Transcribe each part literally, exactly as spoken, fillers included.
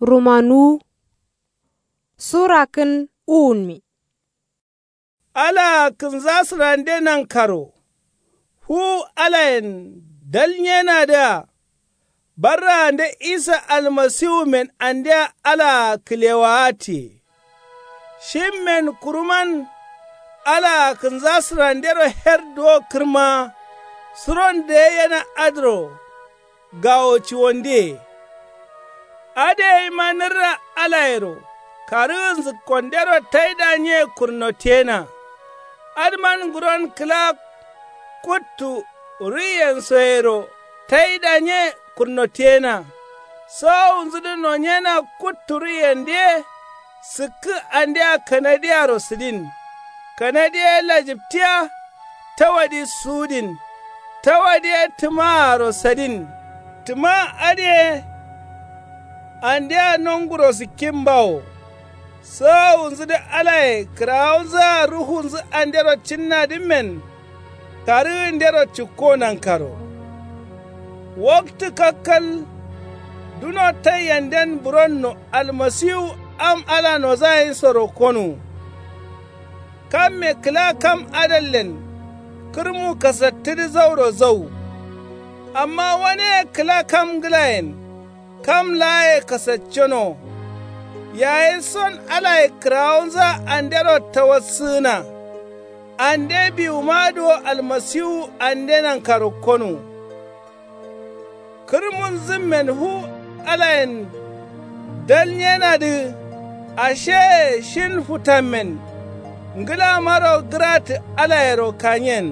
Rumanuwu. Sura kǝn uwunmi. Alaa kǝnza sǝrande nankaro fuwu alayen dalnyenadǝa barraande isa almasiwumen andea alaa kǝlewaatiye. Shimmen kuruman alaa kǝnza sǝrandero her duwo kǝrmaa suron dǝyeyena adǝro gawo ciwondiye. Adǝ gaima nǝrra alayero karǝgǝ nzǝkkondero taidanye kurnotiyena. Adǝman nguron kǝla kuttu ruiyensoyero taidanye kurnotiyena. Sowowunzudǝ nonyena kuttu ruiyendǝ ye sǝkkǝ andea kanadiyaro sǝdin. Kanadi ye lajǝptiya tawadi suwudin. Tawadi ye tǝmaaro sadin. Tǝma adǝ ye andea nonguro sǝkkin bawo. Sowowunzudǝ alaye kǝrawonzǝa ruhunzǝ andero cinnadǝmmen karǝgǝndero cikko nankaro. Waktǝ kakkal duno taiyenden buronno almasiwu am ala nozayinsoro konuwu. Kamme kǝla kam adallen kǝrmu kasattǝdǝ zauro zau. Amma waneye kǝla kam ngǝlayen kam laaye kasacceno. Yayi son alaye kǝrawonzǝa andero tawassǝgǝna. Ande biwumadǝ wo almasiwu ande nankaro konuwu. Kǝrmunzǝmmen fu alayen dalnyenadǝ asheye shin futammen ngǝlamaro gǝratǝ alayero kanyen.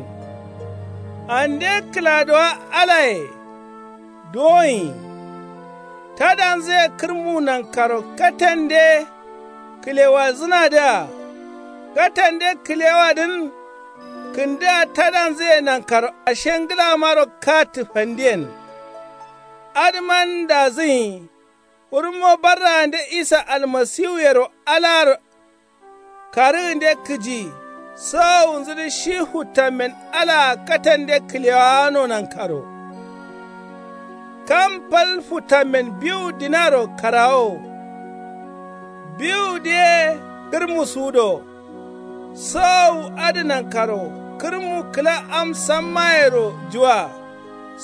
Ande kǝladowa alaye duwoyi tadanzǝye kǝrmu nankaro katende kǝlewadzǝnadǝa. Katende kǝlewadǝn kǝndǝa tadanzǝye nankaro ashe ngǝlamaro katǝ fandiyen. Adǝman dazǝnyi. Kurunmo barraande isa almasiwuyero alaro karǝgǝnde kǝji. Sowowunzudǝ shi futtammen alaa katande kǝlewawano nankaro. Kam fal futtammen biwu dinaro karawo. Biwudǝ ye kǝrmu suwudo. Sowowu adǝ nankaro kǝrmu kǝla am sammayero juwa.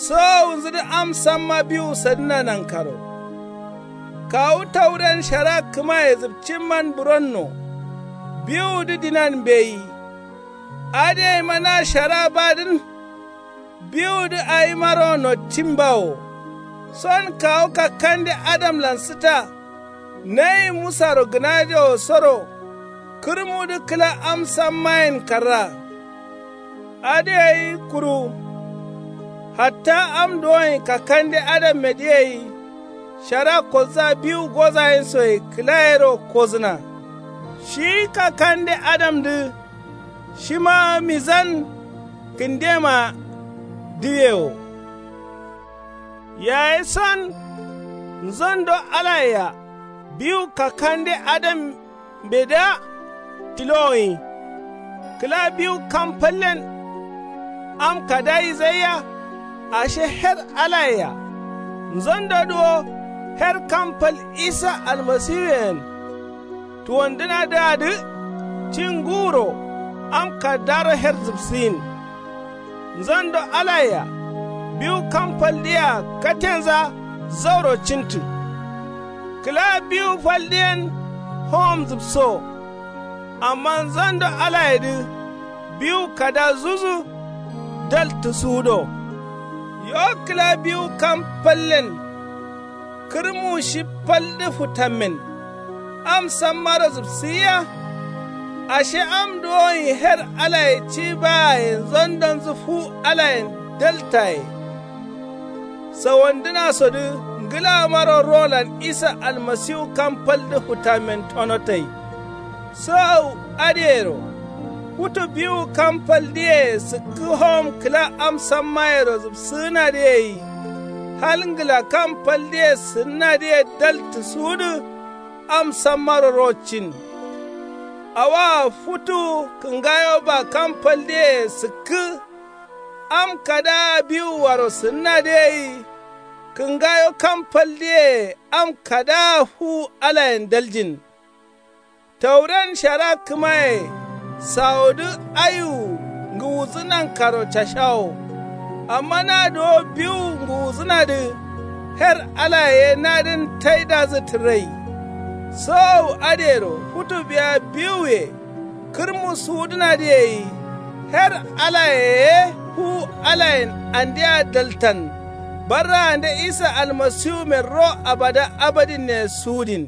Sowowunzudǝ am samma biwu sadǝna nankaro. Kawu tawuren shara kǝmaye zǝpcimman buronno. Biwudǝ dinan mbeyi. Adǝ gaima na shara badǝn. Biwudǝ awimaro noccin bawo. Son kawu kakkande adamlan sǝta. Nayi musaro gǝnajewo soro kǝrmudǝ kǝla am sammayen karra. Adǝ gai kuru hatta am duwonyi kakkande adammedǝ gai shara kolza biwu gozayinsoye kǝlayero kozǝna. Shi kakkande adamdǝ shima mizan kǝndema diwewo. Yayi son nzondo alayea biwu kakkande adam mbedǝa tilowoyi. Kǝla biwu kam fallen am kada yizaiya. Ashe her alayea nzondodǝ wo her kam fal isa almasiwuyen tuwandǝnadǝadǝ. Cin nguro am kaddaro her zǝpsǝgin. Nzondo alayea biwu kam faldiyea katenza zauro cintǝ. Kǝla biwu faldiyen howom zǝpso. Amma nzondo alayedǝ biwu kada zuzu daltǝ suwudo. Yo kǝla biwu kam fallen kǝrmu shi faldǝ futammen am sammaro zǝpsǝgiya. Ashe am duwonyi her alaye ci bayaye nzondonzǝ fu alayen daltaye. Sawandǝnasodǝ ngǝlamaro rolan isa almasiwu kam faldǝ futammen tonotai. Sowowu adǝyero futu biwu kam faldǝye sǝkkǝ howom kǝla am sammayero zǝpsǝgǝnadǝ gai. Hal ngǝla kam faldǝye sǝnnadǝye daltǝ suwudǝ am sammaro rocin. Awoa futu kǝngayo ba kam faldǝye sǝkkǝ am kadaa biwuaro sǝnnadǝ gai. Kǝngayo kam faldǝye am kadaa fu alayen daljin. Tauren shara kǝmaye sawodǝ aiwu ngǝwudǝ nankaro cashawo. Amma na duwo biwu ngǝwudǝnadǝ her alaye ye nadǝn taidazǝ tǝrai. Sowowu adǝyero futu biya biwuye kǝrmu suwudǝnadǝ yeyi. Her alaye ye fu alayen andea daltan. Barraande isa almasiwumen ro abada abadinne suwudin.